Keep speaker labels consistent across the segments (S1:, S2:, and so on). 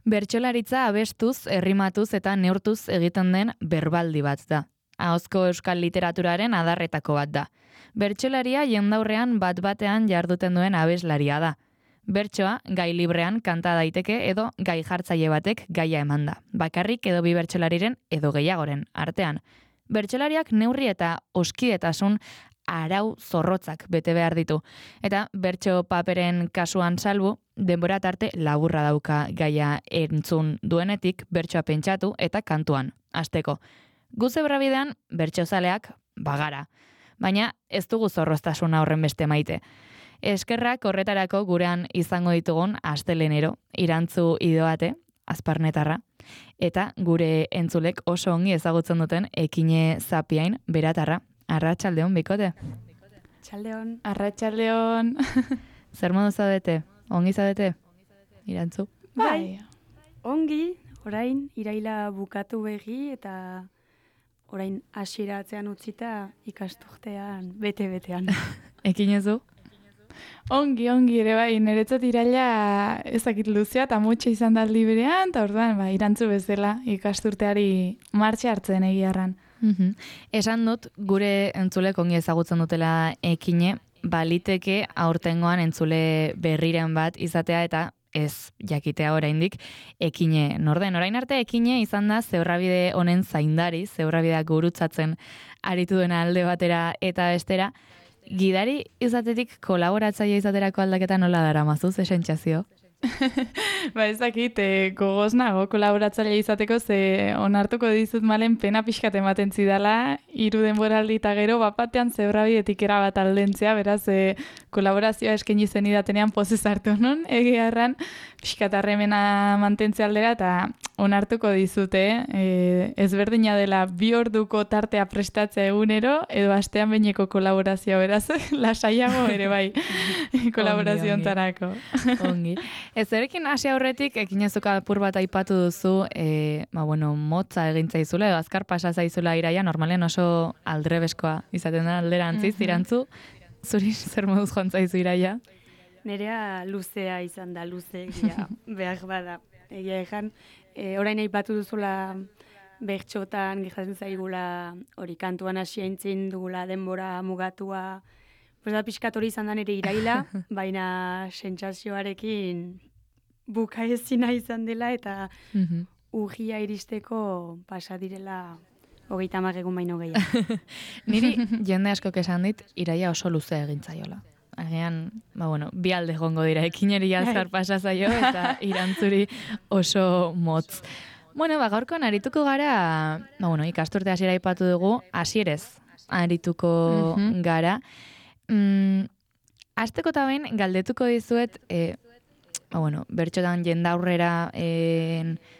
S1: Bertsolaritza abestuz, errimatuz eta neurtuz egiten den berbaldi bat da. Ahozko euskal literaturaren adarretako bat da. Bertsolaria jendaurrean bat-batean jarduten duen abeslaria da. Bertsoa gai librean kanta daiteke edo gai jartzaile batek gaia eman da. Bakarrik edo bi bertsolariren edo gehiagoren artean. Bertsolariak neurri eta oskidetasun arau zorrotzak bete behar ditu. Eta bertso paperen kasuan salbu, denbora tarte laburra dauka gaia entzun duenetik bertsoa pentsatu eta kantuan, hasteko. Gu zebrabidean bertsozaleak bagara, baina ez dugu zorroztasuna horren beste maite. Eskerrak horretarako gurean izango ditugun astelenero, Irantzu Idoate, Azparnetarra, eta gure entzulek oso ongi ezagutzen duten Ekine Zapiain, Beratarra. Arratsaldeon, bikote.
S2: Txaldeon.
S3: Arratsaldeon.
S1: Zer modu zaudete? Ongi zaudete? Irantzu?
S2: Bai. Ongi, orain iraila bukatu begi eta orain hasiratzean utzita ikasturtean bete-betean.
S1: Ekinezu?
S3: Ongi ere bai, niretzat iraila ezakit luzea eta mutxe izan da aldi berean, eta orduan Irantzu bezala ikasturteari martxe hartzen egiarran.
S1: Esan dut, gure entzulek ongi ezagutzen dutela Ekine, baliteke aurtengoan entzule berriren bat izatea eta ez jakitea oraindik Ekine norden. Orain arte Ekine izan da zebrabide honen zaindari, zebrabideak gurutzatzen aritu duena alde batera eta bestera. Gidari izatetik kolaboratzaile izaterako aldaketa nola daramazu, ze sentsazio?
S3: Ba ez dakit, gogoz nago kolaboratzaile izateko, ze onartuko dizut malen pena pixkat ematen zidala, 3 denboraldi eta gero bapatean zebrabidetik erabat aldentzea, beraz kolaborazioa eskaini zen idatenean pozez hartu non, egiarran pixkat harremena mantentze aldera, eta onartuko dizute, ezberdina dela 2 orduko tartea prestatzea egunero, edo astean behineko kolaborazioa, beraz, lasaiago ere bai, kolaborazio ontarako.
S1: Ongi. Ez erekin hasi aurretik, Ekinezuka apur bat aipatu duzu, motza egintzaizula, edo azkar pasa zaizula iraia, normalean oso aldrebeskoa izaten da alderantziz, Irantzu, zuri zer moduz joan zaizu iraia?
S2: Nerea luzea izan da, luzeegia behar bada. Egia egan, orain aipatu duzula bertxotan, gertatzen zaigula hori kantuan hasi aintzin dugula denbora mugatua, pues da pixkat hori izan da nire iraila, baina sentsazioarekin bukaezina izan dela eta urria iristeko pasa direla 30 egun baino gehiago.
S1: Niri jende askok esan dit, iraia oso luzea egintzaiola. Agian, bi alde jongo dira, Ekineri azkar pasa zaio eta Irantzuri oso motz. Gaurkoan arituko gara, ikasturte hasiera aipatu dugu, hasierez arituko gara. Azteko eta behin, galdetuko dizuet, bertxotan jendaurrera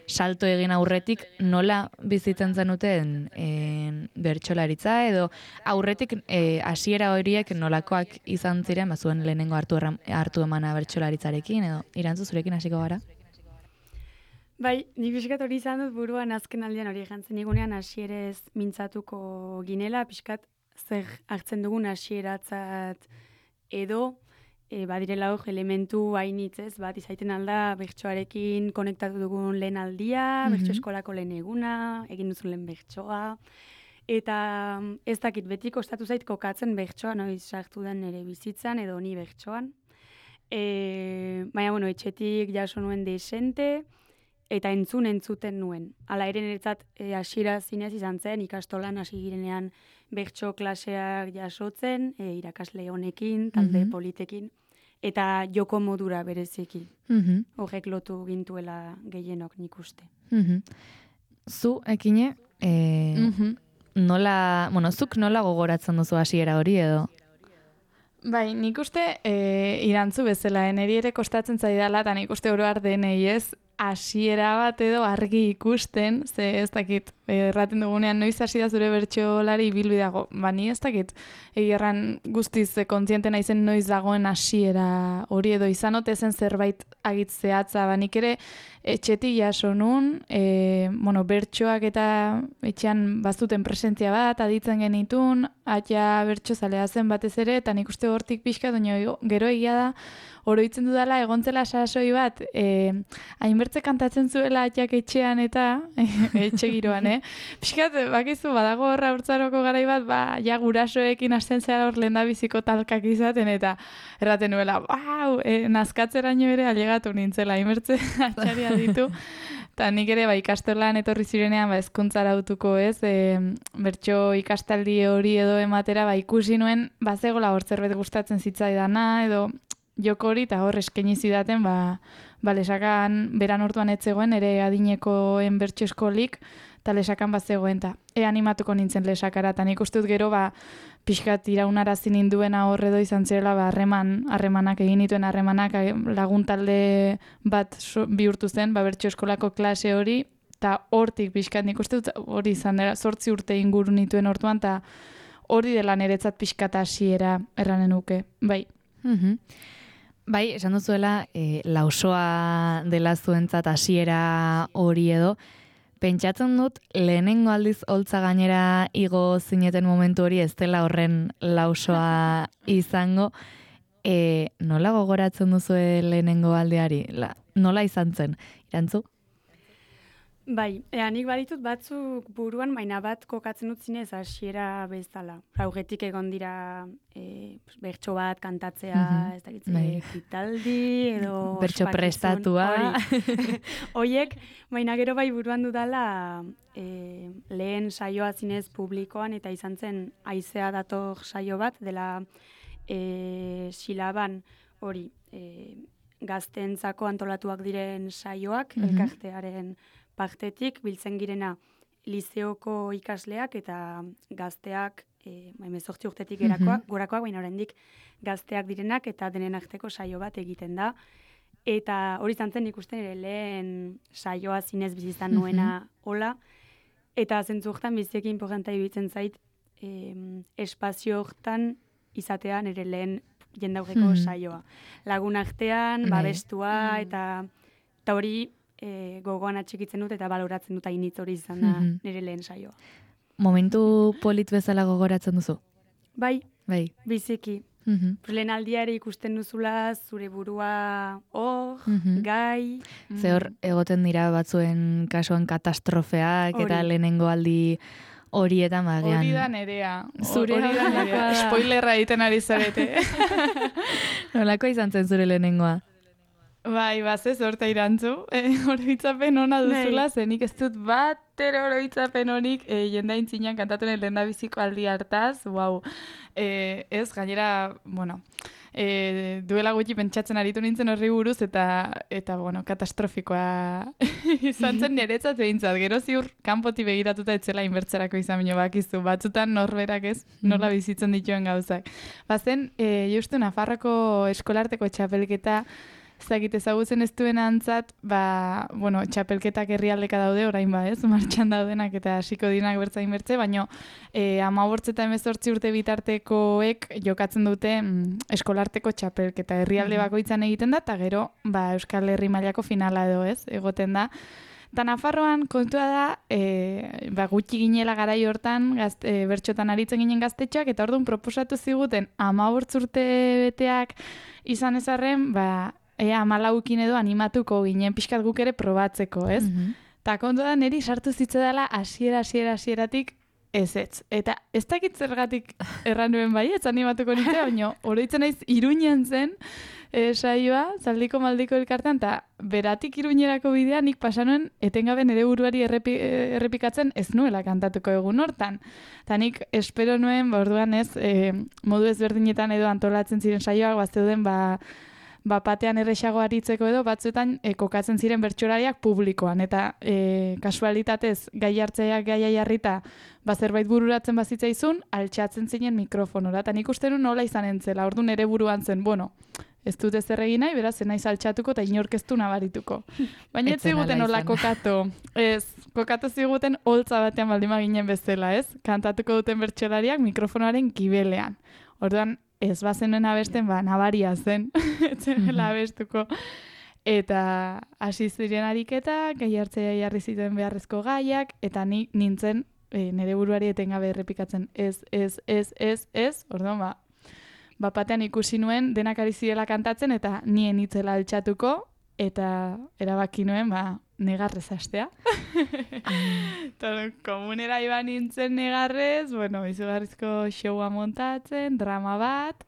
S1: salto egin aurretik nola bizitzen zenuten bertxolaritza, edo aurretik hasiera horiek nolakoak izan ziren, zuen lehenengo hartu emana bertxolaritzarekin, edo Irantzu zurekin hasiko gara?
S2: Bai, nik pixkat hori izan dut buruan azken aldean hori jantzen igunean hasierez mintzatuko ginela, pixkat zer hartzen dugun hasieratzat edo badirela hor elementu hainitzez, bat izaiten alda bertsoarekin konektatu dugun lehen aldia, bertso eskolako lehen eguna, egin duzun lehen bertsoa, eta ez dakit beti kostatu zait kokatzen bertsoa, noiz sartu den nire bizitzan edo ni bertsoan. Baina, etxetik jaso nuen desente, eta entzuten nuen. Hala ere niretzat hasiera zinez izan zen, ikastolan hasi girenean bertso klaseak jasotzen, irakasle honekin, talde politekin, eta joko modura bereziki. Horrek lotu gintuela gehienok nik uste.
S1: Zu, Ekine, zuk nola gogoratzen duzu hasiera hori edo?
S3: Bai, nik uste Irantzu bezala, niri ere kostatzen zaidala, eta nik uste oro har denei ez, hasiera bat edo argi ikusten, ze ez dakit, erraten dugunean noiz hasi da zure bertsolari ibilbideago, ni ez dakit, egirran guztiz kontziente naizen noiz dagoen hasiera hori edo izan ote zen zerbait agitzeatza, nik ere etxetik jaso nun, bertsoak eta etxean bazuten presentzia bat, aditzen genitun, atia bertsozalea zen batez ere, eta nik uste hortik pixka, gero egia da, oroitzen dudala egontzela sasoi bat, hainbeste hainbertze kantatzen zuela atxak etxean eta etxe giroan, Piskat, bakizu, badago horra urtzaroko garai bat, ja gurasoekin hasten zera hor lehendabiziko talkak izaten, eta erraten nuela, nazkatzeraino ere alegatu nintzela, hainbertze atxaria ditu. Eta nik ere ikastolan etorri zirenean hezkuntzara autuko bertso ikastaldi hori edo ematera ikusi nuen bazegola hor zerbait gustatzen zitzaidana edo joko hori eta hor eskaini zidaten lesakan beran orduan etzegoen ere adinekoen bertso eskolik eta lesakan bazegoen eta animatuko nintzen lesakara eta nik uste dut gero pixkat iraunarazi ninduena horredo izan zirela harremanak egin dituen harremanak laguntalde bat bihurtu zen bertso eskolako klase hori eta hortik pixkat nik uste dut hori izan dela 8 urte inguru nituen orduan eta hori dela niretzat pixkat hasiera erranen nuke, bai.
S1: Bai, esan duzuela lausoa dela zuentzat hasiera hori edo, pentsatzen dut, lehenengo aldiz holtza gainera igo zineten momentu hori ez dela horren lausoa izango. Nola gogoratzen duzu lehenengo aldeari? Nola izan zen? Irantzu?
S2: Bai, nik baditut batzuk buruan, baina bat kokatzen dut zinez hasiera bezala. Raugetik egon dira bertso bat kantatzea, ez dakitze, kitaldi edo...
S1: Bertso prestatua.
S2: Oiek, baina gero bai buruan dudala lehen saioa zinez publikoan eta izan zen haizea dator saio bat, dela Silaban hori gazteentzako antolatuak diren saioak, elkartearen partetik, biltzen girena lizeoko ikasleak eta gazteak, 18 urtetik gorakoak, baina oraindik gazteak direnak eta denen arteko saio bat egiten da. Eta hori izan zen ikusten ere lehen saioa zinez bizizan nuena hola. Eta zentzu hortan biziki importanta iruditzen zait espazio hortan izatea nire lehen jendaurreko saioa. Lagun artean, babestua eta hori gogoan atxikitzen dut eta baloratzen dut hainitz hori izan da nire lehen saioa.
S1: Momentu polit bezala gogoratzen duzu?
S2: Bai, biziki. Lehen aldiare ikusten duzula zure burua hor, gai.
S1: Ze hor egoten dira batzuen kasuan katastrofeak eta lehenengo aldi horietan bagean.
S3: Hori da nerea. Hori da nerea. Spoilerra egiten ari zarete.
S1: Nolako izan zen zure lehenengoa?
S3: Bai, bazez, horta irantzu. Oroitzapen ona duzula, zenik ez dut batero oroitzapen honik jendain zinean kantatunen lehendabiziko aldi hartaz. Wow. Ez, gainera, bueno, duela gutxi pentsatzen aritu nintzen horri buruz eta bueno, katastrofikoa izan zen niretzat behintzat. Gero ziur kanpoti begiratuta etzela inbertzerako izan bino bakizu. Batzutan norberak ez, nola bizitzen dituen gauzak. Bazen, justu Nafarroko eskolarteko txapelketa zagit ezagutzen ez duen antzat, bueno, txapelketak herrialdeka daude, orain martxan daudenak eta hasiko dinak bertzain bertze, baina 15 eta 18 urte bitartekoek jokatzen dute eskolarteko txapelketa herrialde bakoitzan egiten da, eta gero Euskal Herri mailako finala edo egoten da. Eta Nafarroan kontua da, gutxi ginela garai hortan, bertxotan aritzen ginen gaztetxoak, eta orduan proposatu ziguten 15 urte beteak izan ezarren, 14 edo animatuko ginen pixkat guk ere probatzeko, ez? Ta kontua da niri sartu zitzedala hasieratik ez. Eta ez dakit zergatik erran nuen ez animatuko nintzen, baina oroitzen naiz Iruñean zen saioa, Zaldiko Maldiko elkartean, eta beratik Iruñerako bidea nik pasanuen etengabe nire buruari errepikatzen ez nuela kantatuko egun hortan. Eta nik espero nuen, orduan ez, modu ezberdinetan edo antolatzen ziren saioak, bazeuden batean erresago aritzeko edo batzuetan kokatzen ziren bertsolariak publikoan eta kasualitatez gai hartzeak gaia jarrita zerbait bururatzen bazitzaizun altxatzen zinen mikrofonora eta nik uste nuen nola izan entzela, orduan ere buruan zen, bueno, ez dut ezer egin nahi, beraz naiz altxatuko eta inork ez du nabarituko. Baina ez ziguten nola kokatu. Ez, kokatu ziguten holtza batean baldima ginen bezala, ez? Kantatuko duten bertsolariak mikrofonoaren kibelean. Orduan, ez bazenuen abesten, nabaria zen, etzela abestuko. Eta hasi ziren ariketa, gai hartzea jarri zituen beharrezko gaiak, eta ni nintzen nire buruari etengabe errepikatzen ez, orduan batean ikusi nuen denak ari zirela kantatzen, eta nien itzela altxatuko, eta erabaki nuen, negarrez hastea. Komunera iban nintzen negarrez, izugarrizko showa montatzen, drama bat,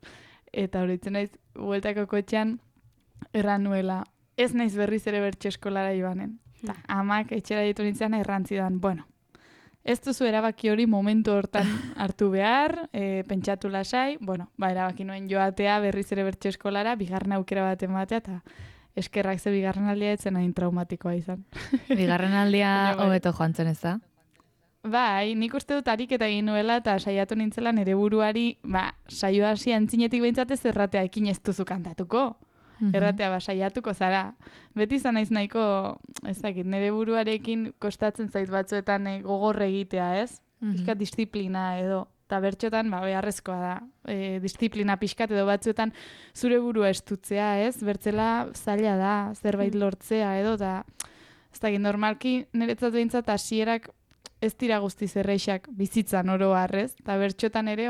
S3: eta horitzen naiz, bueltako kotxean, erran nuela, ez naiz berriz ere bertso eskolara ibanen. Ta, amak etxera ditu nintzen errantzidan, ez duzu erabaki hori momentu hortan hartu behar, pentsatu lasai, erabaki nuen joatea berriz ere bertso eskolara, bigarren aukera bat ematea, eta eskerrak ze bigarren aldia etzen hain traumatikoa izan.
S1: Bigarren aldia hobeto joan zen ez da?
S3: Bai, nik uste dut ariketa egin nuela eta saiatu nintzela nire buruari, saio hasi antzinetik behintzatez erratea ekin ez duzu kantatuko. Erratea saiatuko zara. Beti izan naiz nahiko, ez dakit, nire buruarekin kostatzen zait batzuetan gogorre egitea, ez? Pixkat disiplina edo. Eta bertxotan, beharrezkoa da. Disiplina pixkat edo batzuetan zure burua estutzea, ez? Bertzela zaila da, zerbait lortzea edo, eta ez dakit, normalki niretzat behintzat hasierak ez dira guztiz erreixak bizitzan oro harrez, eta bertxotan ere,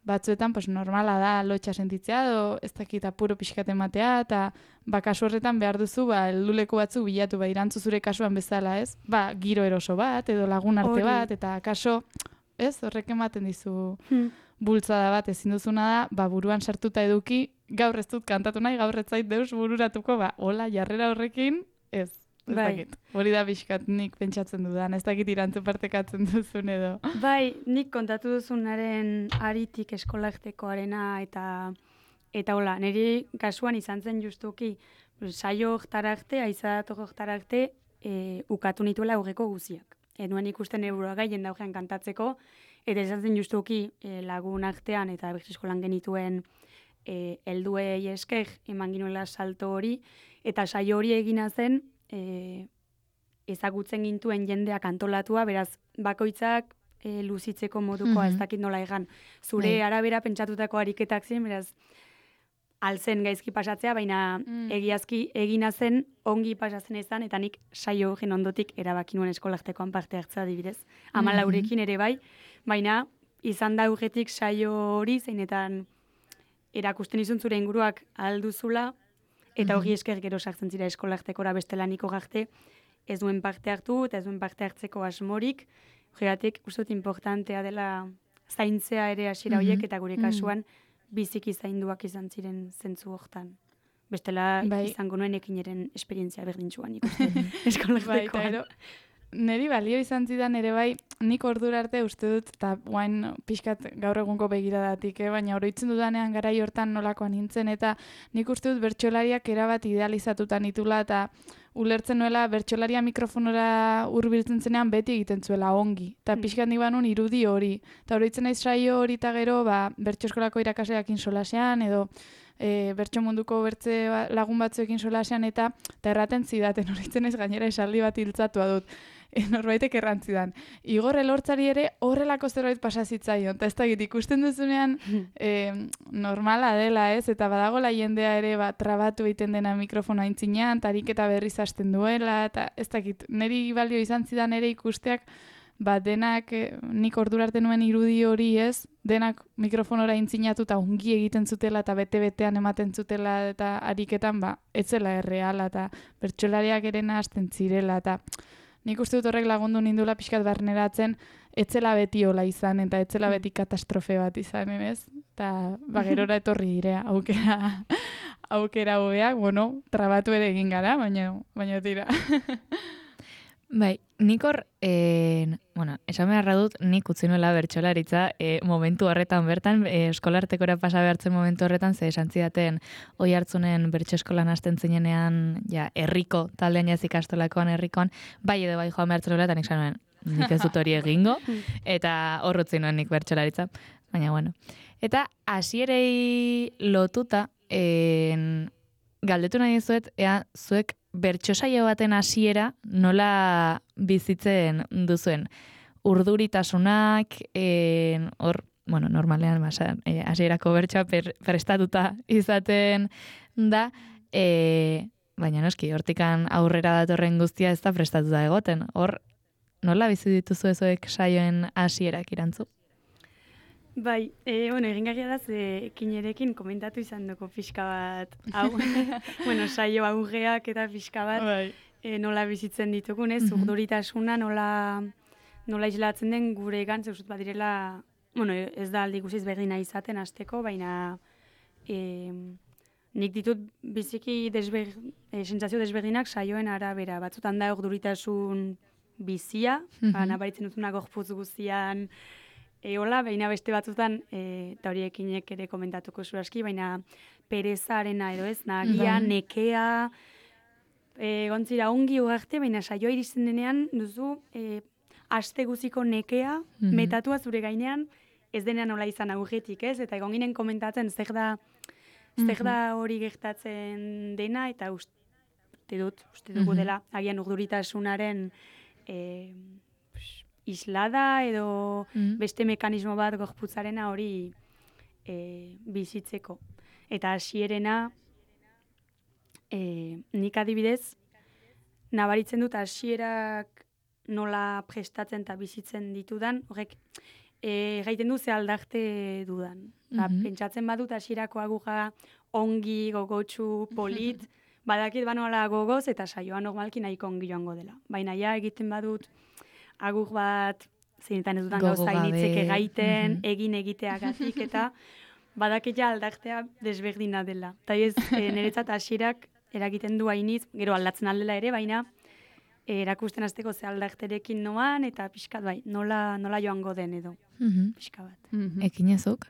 S3: batzuetan normala da lotxa sentitzea, edo ez dakit apuro pixkat ematea, eta kasu horretan behar duzu, helduleku batzuk bilatu, irantzu zure kasuan bezala, ez? Giro eroso bat, edo lagun arte bat, eta kaso, ez? Horrek ematen dizu bultzada bat ezin duzuna da, buruan sartuta eduki, gaur ez dut kantatu nahi, gaur ez zait deus bururatuko, hola, jarrera horrekin, ez. Ez dakit, hori da pixkat nik pentsatzen dudan, ez dakit irantzu partekatzen duzun edo.
S2: Bai, nik kontatu duzunaren aritik eskolaktekoarena eta hola, niri kasuan izan zen justuki, saio oktarakte, aizadat oktarakte, ukatu nituela aurreko guziak. Nuen ikusten eurua gaien daugean kantatzeko, eta izan zen justuki lagun artean eta bertso eskolan genituen helduei esker eman ginuela salto hori, eta saio hori egina zen, ezagutzen gintuen jendeak antolatua, beraz, bakoitzak luzitzeko modukoa, ez dakit nola egan. Zure arabera pentsatutako ariketak ziren, beraz, alzen gaizki pasatzea, baina egiazki egina zen, ongi pasatzen izan, eta nik saio horren ondotik erabaki nuen eskolaktekoan parte hartzea adibidez. 14 ere bai, baina izan da aurretik saio hori, zeinetan erakusten izun zure inguruak alduzula, eta hori esker gero sartzen zira eskolaktekora bestelaniko garte, ez duen parte hartu, eta ez duen parte hartzeko asmorik, horregatik uste dut importantea dela zaintzea ere hasiera horiek, eta gure kasuan biziki zainduak izan ziren zentzu hortan. Bestela izango nuen ekineren esperientzia berdintzuan ikusten eskolaktekoan.
S3: Neri balio izan zidan ere bai, nik ordura arte uste dut, eta guain pixkat gaur egunko begiradatik, baina oroitzen dudanean garai hortan nolakoan nintzen, eta nik uste dut bertsolariak erabat idealizatuta nitula, eta ulertzen nuela bertsolaria mikrofonora hurbiltzen zenean beti egiten zuela ongi. Eta pixkat nik banun irudi hori. Eta oroitzen naiz saio hori eta gero, bertso eskolako irakasleakin solasean, edo bertso munduko bertze lagun batzuekin solasean, eta erraten zidaten, oroitzen naiz gainera esaldi bat hiltzatua dut. Norbaitek errantzidan. Igor Elortzari ere horrelako zerbait pasazitzaion. Eta ez dakit ikusten duzunean normala dela, ez? Eta badagola jendea ere trabatu egiten dena mikrofono aintzinean, tarik eta berriz hasten duela, eta ez dakit, niri balio izan zidan ere ikusteak, denak nik ordura arte nuen irudi hori, ez? Denak mikrofonora aintzinatu eta ongi egiten zutela eta bete-betean ematen zutela eta ariketan, etzela erreala eta bertsolariak ere hasten zirela eta nik uste dut horrek lagundu nindula pixkat barneratzen, etzela beti hola izan, eta etzela beti katastrofe bat izan, ez? Eta gerora etorri direa, aukera hobeak, trabatu ere egin gara, baina tira.
S1: Bai, nik hor, esan beharra dut, nik utzi nuela bertsolaritza momentu horretan bertan, eskolartekora pasa behartzen momentu horretan, ze esan zidaten oi hartzunen bertso eskolan hasten zinenean, herriko, taldean jazik astolakoan herrikoan, bai edo bai joan behartzen nuela, eta nik zanuen, nik ez dut hori egingo, eta horrutzi nuen nik bertsolaritza, baina bueno. Eta hasierei lotuta, galdetu nahi dizuet, zuek bertso saio baten hasiera nola bizitzen duzuen. Urduritasunak, hor, normalean hasierako bertsoa prestatuta izaten da, baina noski, hortikan aurrera datorren guztia ez da prestatuta egoten. Hor, nola bizi dituzu ezoek saioen hasierak irantzu?
S2: Bai, egingarria da, ekinerekin komentatu izan dugu pixka bat, hau, saio aurreak eta pixka bat, nola bizitzen ditugun, ez, urduritasuna nola islatzen den gure gantz, eusut badirela, ez da aldi guziz berdina izaten hasteko, baina nik ditut biziki sentsazio desberdinak saioen arabera, batzutan da urduritasun bizia, nabaritzen dutuna gorputz guztian, hola, baina beste batzutan, eta horiekinek ere komentatuko zuraski, baina perezarena edo ez, nagia, nekea, gontzira ongi ugarte, baina saioa iristen denean duzu aste guziko nekea, metatua zure gainean, ez denean nola izan aurretik, ez? Eta egon ginen komentatzen zer da hori gertatzen dena, eta uste dugu dela, agian urduritasunaren islada edo beste mekanismo bat gorputzarena hori bizitzeko. Eta hasierena, nik adibidez, nabaritzen dut hasierak nola prestatzen eta bizitzen ditudan, horrek gaiten du ze aldarte dudan. Pentsatzen badut hasierako agurra ongi, gogotsu, polit, badakit banola gogoz eta saioa normalki nahiko ongi joango dela. Baina ja egiten badut agur bat, zeinetan ez dudan gauza initzek egaiten, egin egiteagatik eta badakit ja aldartea desberdina dela. Eta ez, niretzat hasierak eragiten du hainitz, gero aldatzen aldela ere, baina erakusten hasteko ze aldarterekin noan, eta pixkat bai, nola joango den edo, pixka bat.
S1: Ekinezuk?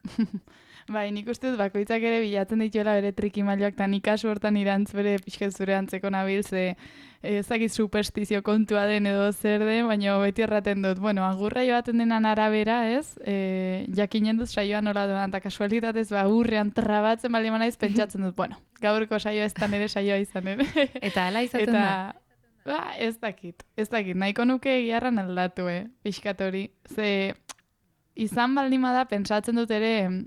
S3: Bai, nik uste dut bakoitzak ere bilatzen dituela bere trikimailoak, eta nik kasu hortan irantz bere pixket zure antzeko nabil, ze ezakit superstizio kontua den edo zer den, baina beti erraten dut. Bueno, agurra joaten denan arabera, ez? Jakinen dut saioa nola doan, eta kasualitatez urrean trabatzen bali manaiz pentsatzen dut, bueno, gaurko saioa ez da nire saioa izan ere.
S1: Eta hala izaten da?
S3: Ez dakit, nahiko nuke egiarran aldatu, pixkat hori. Ze izan baldima da, pentsatzen dut ere,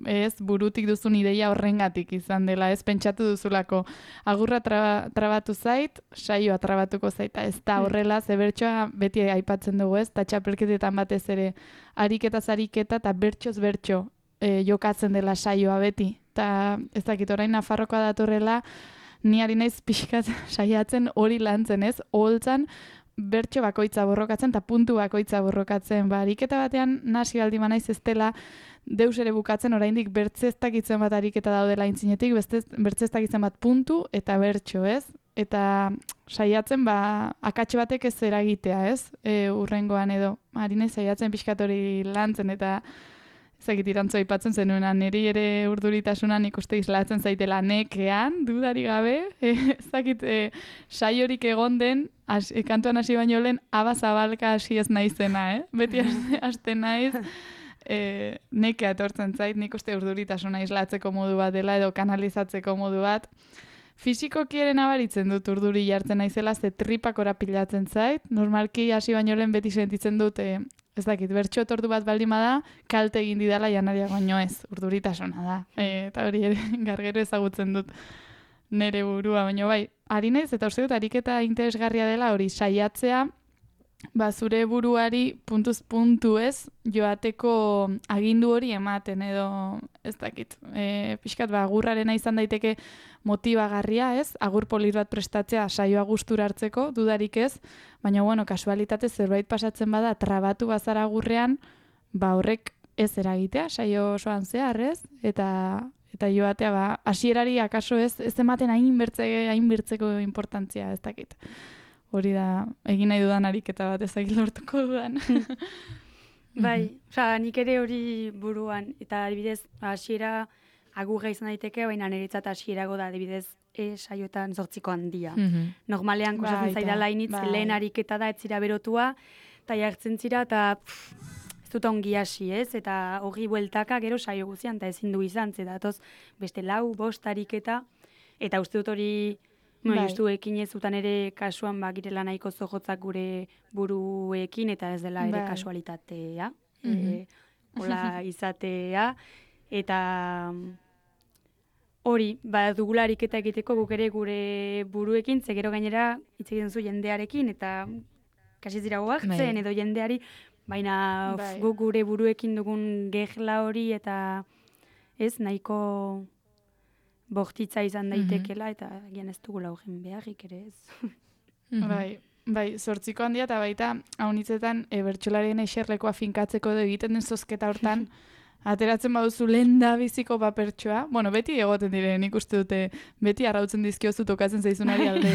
S3: ez burutik duzun ideia horrengatik izan dela, ez pentsatu duzulako agurra trabatu zait, saioa trabatuko zaita, ez da horrela, ze bertsoa beti aipatzen dugu, ez, eta txapelketetan batez ere ariketaz ariketa eta bertsoz bertso jokatzen dela saioa beti, eta ez dakit orain Nafarrokoa datorrela, ni ari naiz pixkat saiatzen hori lantzen, ez, oholtzan bertso bakoitza borrokatzen eta puntu bakoitza borrokatzen. Ariketa batean nasi baldin naiz ez dela deus ere bukatzen oraindik bertzeztakitzen bat ariketa daudela intzinetik, bertzeztakitzen bat puntu eta bertso, ez? Eta saiatzen akatxe batek ez eragitea, ez? Urrengoan edo. Ari naiz saiatzen pixkat hori lantzen eta ezakit irantzu aipatzen zenuena, niri ere urduritasunan ikuste islatzen zaitela nekean, dudari gabe, ezakit saiorik egon den, kantuan hasi baino lehen, abazabalka hasi ez naizena, beti hasten naiz, nekea etortzen zait, nik uste urduritasuna islatzeko modu bat dela, edo kanalizatzeko modu bat. Fisikoki ere nabaritzen dut urduri jartzen naizela, ze tripak orapilatzen zait, normalki hasi baino lehen beti sentitzen dut, ez dakit, bertxo tortu bat baldin bada, kalte egin didala janaria baino ez, urduritasuna da. Eta hori ere gargero ezagutzen dut nere burua, baino bai, ari naiz eta uste dut ariketa interesgarria dela hori saiatzea, zure buruari puntuz puntu ez, joateko agindu hori ematen edo, ez dakit, pixkat agurrarena izan daiteke motibagarria ez, agur polit bat prestatzea saioa gustura hartzeko, dudarik ez, baina bueno, kasualitate zerbait pasatzen bada trabatu bazara agurrean, horrek ez eragitea, saio osoan zehar ez, eta joatea hasierari akaso ez ematen hain bertzeko importantzia, ez dakit. Hori da, egin nahi dudan ariketa bat ezagik lortuko dudan.
S2: Bai, nik ere hori buruan, eta adibidez, hasiera agurra izan daiteke, baina niretzat hasierago da, adibidez, saioetan 8ko handia. Normalean, kosatzen zaidala initz, lehen ariketa da, ez zira berotua, eta jartzen zira, eta ez dut ongi hasi, ez? Eta hori bueltaka gero saio guzian, eta ezin du izan, zedatoz beste 4-5 ariketa, eta uste dut hori, justu ekin ez zutan ere kasuan girela nahiko zojotzak gure buruekin, eta ez dela ere kasualitatea, hola izatea, eta hori, dugula ariketa egiteko guk ere gure buruekin, ze gero gainera hitz egiten zu jendearekin, eta kasi zira hartzen, edo jendeari Baina
S3: Bai.
S2: guk gure buruekin dugun gehla hori eta ez nahiko bortitza izan daitekela eta agian ez dugula horren beharrik ere ez.
S3: Bai, zortziko handia eta baita haunitzetan bertsolarien eserlekoa finkatzeko edo egiten den zozketa hortan, ateratzen baduzu lenda biziko papertxoa. Bueno, beti egoten dire, nik uste dute, beti arrautzen dizkiozu tokatzen zaizunari alde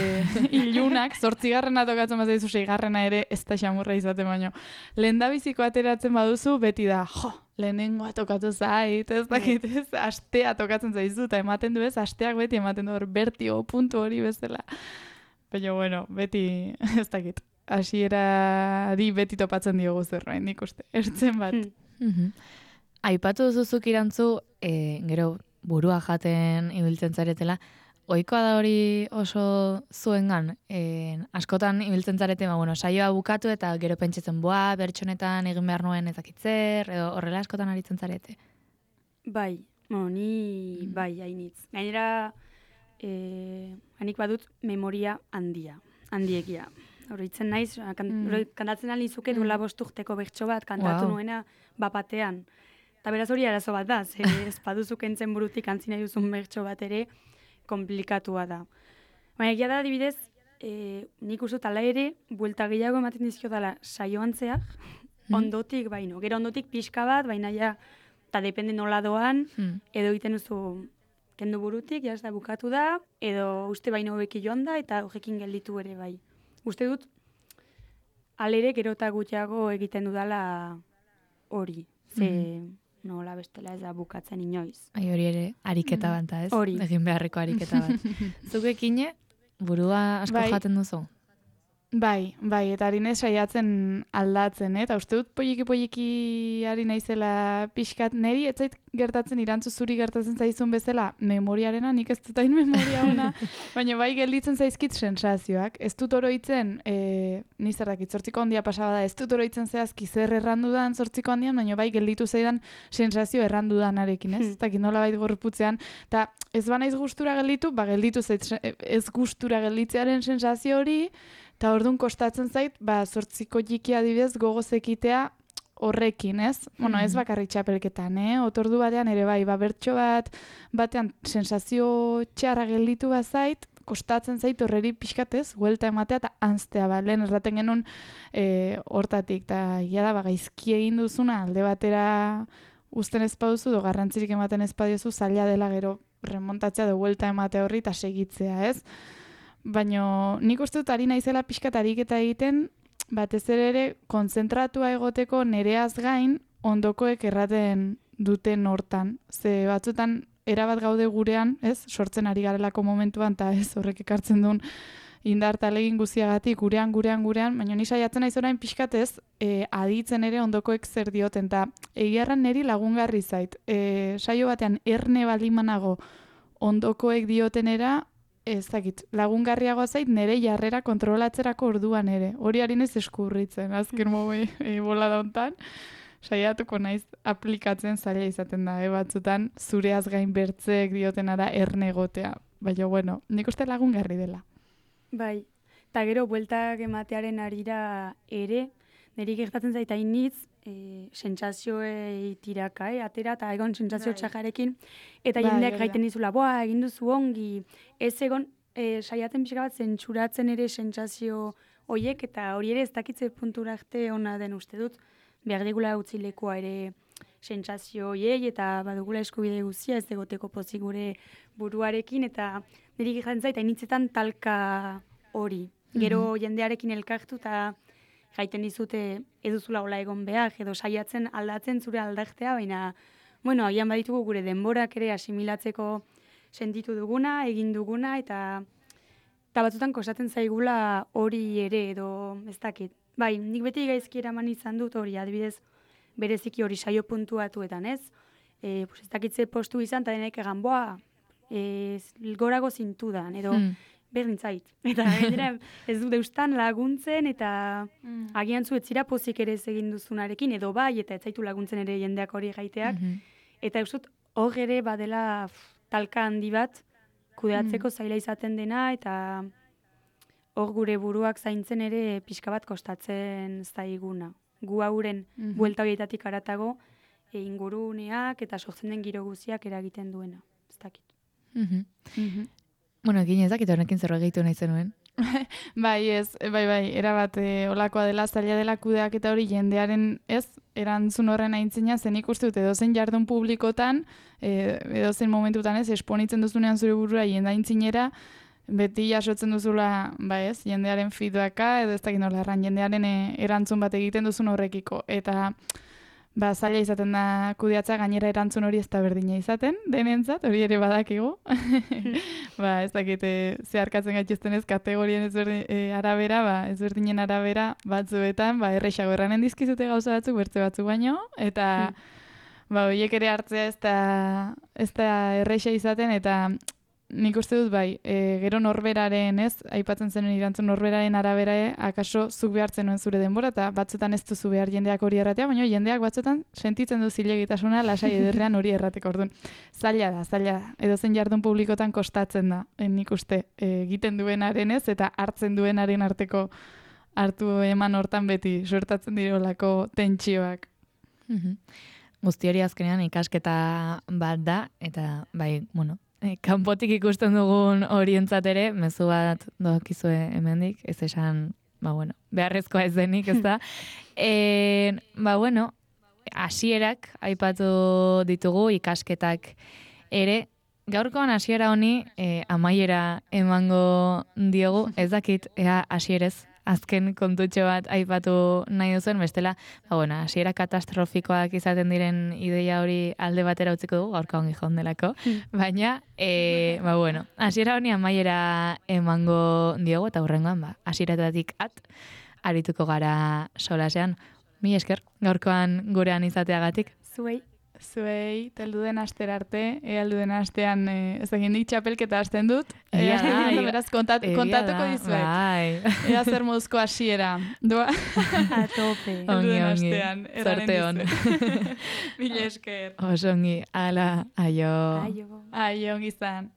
S3: ilunak, 8garrena tokatzen bazaizu 6garrena ere ez da xamurra izaten baino. Lenda biziko ateratzen baduzu, beti da, lehenengoa tokatu zait, ez dakit, ez, astea tokatzen zaizu, eta ematen du ez, asteak beti ematen du hor, bertio, puntu hori bezala. Baina, bueno, beti, ez dakit, hasierari beti topatzen diogu zerbait, nik uste, ertzen bat.
S1: Aipatu duzuzuk irantzu, gero burua jaten ibiltzen zaretela, ohikoa da hori oso zuengan, askotan ibiltzen zarete, bueno, saioa bukatu eta gero pentsatzen bertsonetan egin behar nuen ezakitzer, edo horrela askotan aritzen zarete.
S2: Bai, ni bai, hainitz. Gainera, hanik badut memoria handiegia. Horritzen naiz, kantatzen alizuke duela 5 urteko bertso bat, kantatu nuena bapatean. Eta beraz hori arazo bat da, ez baduzu kentzen burutik antzi nahi duzun bertso bat ere, komplikatua da. Baina egia da, adibidez, nik uste ala ere, buelta gehiago ematen dizkio dela saioan zehar, ondotik baino. Gero ondotik pixka bat, baina ja, eta depende nola doan, edo egiten duzu kendu burutik, jaz da bukatu da, edo uste baino hobeki joan da, eta horrekin gelditu ere bai. Uste dut, alere gero eta gutxiago egiten dudala hori. Ze nola bestela ez da bukatzen inoiz.
S1: Hori ere ariketa bat da, ez?
S2: Hori.
S1: Egin beharreko ariketa bat. Zukekine, burua asko jaten duzu?
S3: Bai, eta ari naiz saiatzen aldatzen, eta uste dut poliki ari naizela pixkat, niri ez zait gertatzen irantzu zuri gertatzen zaizun bezala, memoriarena, nik ez dut hain memoria ona, baina bai gelditzen zaizkit sensazioak. Ez dut oroitzen, ni zerrakit, 8ko handia pasaba da, ez dut oroitzen zehazki zer errandudan 8ko handian, baina bai gelditu zaidan sensazio errandudanarekin, ez? Eta nola bait gorputzean, eta ez banaiz gustura gelditu, gelditu zait ez gustura gelditzearen sensazio hori, eta orduan kostatzen zait, 8ko jiki adibidez gogoz ekitea horrekin, ez? Bueno, ez bakarrik txapelketan, otordu batean ere bai, bertso batean sensazio txarra gelditu bazait, kostatzen zait horreri pixkatez, huelta ematea eta anztea, lehen erraten genuen hortatik, eta egia da, gaizki egin duzuna, alde batera uzten ez baduzu, do garrantzirik ematen ez badiozu, zaila dela gero remontatzea do huelta ematea horri eta segitzea, ez? Baina nik uste dut ari naizela pixkat ariketa egiten, batez ere konzentratua egoteko nereaz gain ondokoek erraten duten hortan. Ze batzutan erabat gaude gurean, ez, sortzen ari garelako momentuan, eta ez horrek ekartzen duen indar talegin guziagatik gurean, baina ni saiatzen naiz orain pixkat ez, aditzen ere ondokoek zer dioten, eta egiarran niri lagungarri zait. Saio batean erne balimanago ondokoek diotenera, ez dakit, lagungarriagoa zait nire jarrera kontrolatzerako orduan ere. Hori harinez eskurritzen, azken bola da hontan. Saiatuko naiz aplikatzen zaila izaten da, batzutan zureaz gain bertzeek diotenara erne egotea. Baina, bueno, nik uste lagungarri dela.
S2: Bai, eta gero bueltak ematearen arira ere, niri gertatzen zaita initz, sentsazioei tiraka, atera, eta egon sentsazio txajarekin, eta jendeak gaiten dizula, egin duzu ongi, ez egon, saiatzen pixka bat zentsuratzen ere sentsazio horiek, eta hori ere ez dakitze puntura arte ona den uste dut, behar digula utzi lekua ere sentsazio horiei, eta badugula eskubide guzia ez egoteko pozik gure buruarekin, eta niri gertatzen zaita initzetan talka hori. Gero jendearekin elkartu, eta gaiten dizute eduzula hola egon behar, edo saiatzen aldatzen zure aldaktea, baina, bueno, agian baditugu gure denborak ere asimilatzeko sentitu duguna, egin duguna, eta batzutan kostatzen zaigula hori ere, edo ez dakit. Bai, nik beti gaizki eraman izan dut hori, adibidez, bereziki hori saio puntuatuetan, ez? Ez dakitze postu izan, eta denek egan, gorago zintudan, edo berdin zait. Eta ez du deustan laguntzen, eta agian zu etzira pozik ere ez egin duzunarekin, edo bai, eta ez zaitu laguntzen ere jendeak hori gaiteak. Eta eusut, hor ere badela talka handi bat, kudeatzeko zaila izaten dena, eta hor gure buruak zaintzen ere pixka bat kostatzen zaiguna. gu hauren buelta horietatik aratago inguruneak eta sortzen den giro guztiak eragiten duena. Ez dakit.
S1: Bueno, egin ezakit honekin zer gehitu nahi zenuen.
S3: Bai, erabat olakoa dela, zaila dela kudeak eta hori jendearen erantzun horren aintzina, zen ikuste dut edozein jardun publikotan, edozein momentutan esponitzen duzunean zure burura jendaintzinera, beti jasotzen duzula, jendearen feedbacka, edo ez dakit nola erran, jendearen erantzun bat egiten duzun horrekiko. Eta zaila izaten da kudeatza, gainera erantzun hori ez da berdina izaten, denentzat, hori ere badakigu. Ez dakit, zeharkatzen gaituzten ez, kategorien arabera, ezberdinen arabera, batzuetan, errexago erranen dizkizute gauza batzuk, bertze batzuk baino, eta horiek ere hartzea ez da errexa izaten, eta nik uste dut gero norberaren aipatzen zenuen irantzun norberaren arabera, akaso zuk behartzen nuen zure denbora, eta batzutan ez duzu behar jendeak hori erratea, baina jendeak batzutan sentitzen du zilegitasuna lasai ederrean hori errateko. Orduan, zaila da. Edozein jardun publikotan kostatzen da, nik uste, egiten duenaren eta hartzen duenaren arteko hartu eman hortan beti suertatzen dirolako tentsioak.
S1: Guzti hori azkenean ikasketa bat da, eta kanpotik ikusten dugun horientzat ere, mezu bat dokizue hemendik, ez esan, beharrezkoa ez denik, ez da. Hasierak aipatu ditugu ikasketak ere, gaurkoan hasiera honi amaiera emango diogu, ez dakit, hasierez azken kontutxo bat aipatu nahi duzuen, bestela, hasiera katastrofikoak izaten diren ideia hori alde batera utziko dugu, gaurka ongi jondelako, baina, hasiera honi amaiera emango diogu, eta hurrengoan, hasieratatik arituko gara solasean. Mi esker, gaurkoan gurean izateagatik.
S3: Zuei, teldu den astera arte, aldu den astean, ez egin dik txapelketa hasten dut, beraz kontatuko dizuet. Ea zer moduzko hasiera. Doa?
S2: A tope.
S1: Ongi,
S3: zorte hon. Mila esker.
S1: Oso ongi, ala, aio.
S3: Aio, ongi zan.